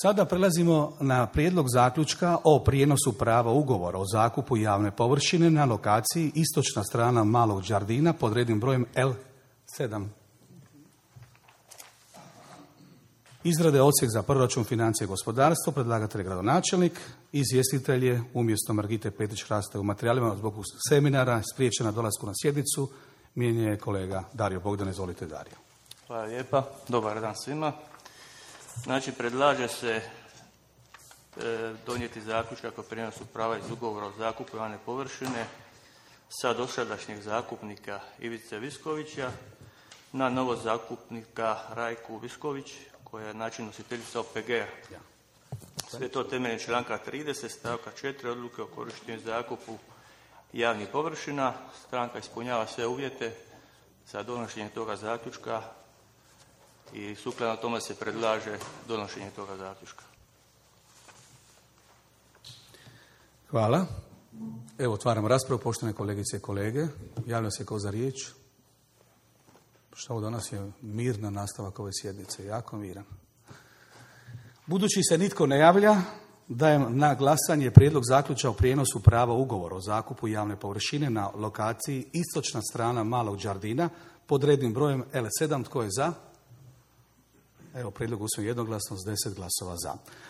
Sada prelazimo na prijedlog zaključka o prijenosu prava ugovora o zakupu javne površine na lokaciji istočna strana Malog Đardina pod rednim brojem L7. Izrade odsjek za proračun, financije i gospodarstvo, predlagatelj je gradonačelnik, izvjestitelj je umjesto Margite Petrić-Hraste u materijalima zbog seminara spriječena dolasku na sjednicu, mijenja je kolega Dario Bogdan. Izvolite, Dario. Hvala lijepa, dobar dan svima. Znači, predlaže se donijeti zaključak kako prijenosu prava iz ugovora o zakupu javne površine sa dosadašnjeg zakupnika Ivice Viskovića na novog zakupnika Rajku Visković, koja je način nositeljica OPG-a. Sve to temeljem članka 30 stavka 4 odluke o korištenju zakupu javnih površina. Stranka ispunjava sve uvjete za donošenje toga zaključka i sukladno tome se predlaže donošenje toga zaključka. Hvala. Evo, otvaram raspravu, poštovane kolegice i kolege. Javlja se ko za riječ. Što ovo danas je mirna nastavak ove sjednice, jako miran. Budući se nitko ne javlja, dajem na glasanje prijedlog zaključka o prijenosu prava ugovora o zakupu javne površine na lokaciji istočna strana Malog Đardina pod rednim brojem L7. Tko je za? Evo, prijedlog usvojen jednoglasno s 10 glasova za.